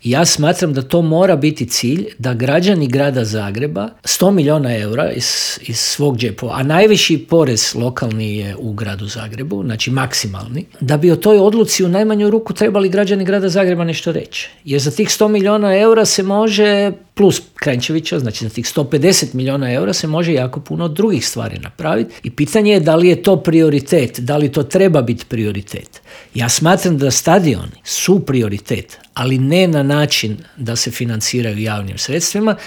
Ja smatram da to mora biti cilj, da građani grada Zagreba 100 milijuna eura iz svog džepa, a najviši porez lokalni je u gradu Zagrebu, znači maksimalni, da bi o toj odluci u najmanju ruku trebali građani grada Zagreba nešto reći. Jer za tih 100 milijuna eura se može, plus Kranjčevića, znači za tih 150 milijuna eura se može jako puno drugih stvari napraviti i pitanje je da li je to prioritet, da li to treba biti prioritet. Ja smatram da stadioni su prioritet, ali ne na način da se financiraju javnim sredstvima,